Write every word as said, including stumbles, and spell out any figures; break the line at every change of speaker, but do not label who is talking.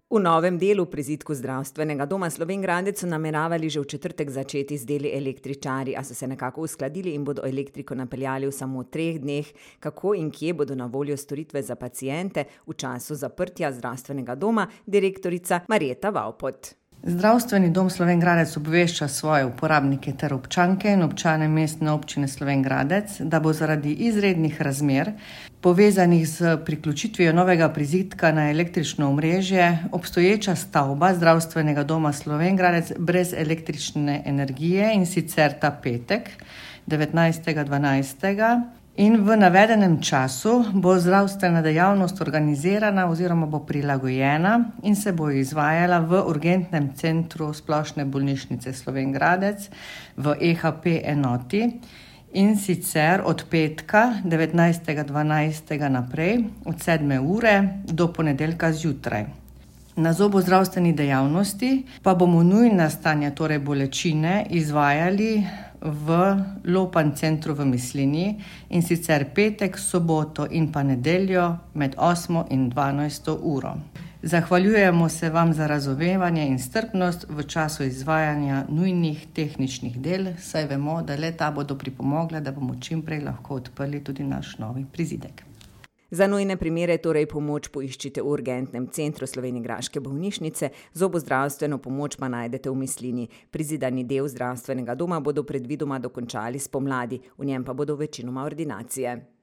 V novem delu prizidku Zdravstvenega doma Slovenj Gradec so nameravali že v četrtek začeti z deli električarji, a so se nekako uskladili in bodo elektriko napeljali v samo treh dneh. Kako in kje bodo na voljo storitve za paciente v času zaprtja Zdravstvenega doma, direktorica Marjeta Vavpot.
Zdravstveni dom Slovenj Gradec obvešča svoje uporabnike ter občanke in občane Mestne občine Slovenj Gradec, da bo zaradi izrednih razmer, povezanih z priključitvijo novega prizidka na električno omrežje, obstoječa stavba Zdravstvenega doma Slovenj Gradec brez električne energije, in sicer ta petek, devetnajstega dvanajstega In v navedenem času bo zdravstvena dejavnost organizirana oziroma bo prilagojena in se bo izvajala v urgentnem centru Splošne bolnišnice Slovenj Gradec v E H P enoti, in sicer od petka devetnajstega dvanajstega naprej od sedme ure do ponedeljka zjutraj. Na zobozdravstveni dejavnosti pa bomo nujna stanja, torej bolečine, izvajali v Lopan centru v Mislinji, in sicer petek, soboto in pa nedeljo med osmo in dvanajsto uro. Zahvaljujemo se vam za razumevanje in strpnost v času izvajanja nujnih tehničnih del, saj vemo, da le ta bodo pripomogla, da bomo čim prej lahko odprli tudi naš novi prizidek.
Za nujne primere torej pomoč poiščite v urgentnem centru slovenjgraške bolnišnice, zobozdravstveno pomoč pa najdete v Mislinji. Prizidani del zdravstvenega doma bodo predvidoma dokončali spomladi, v njem pa bodo večinoma ordinacije.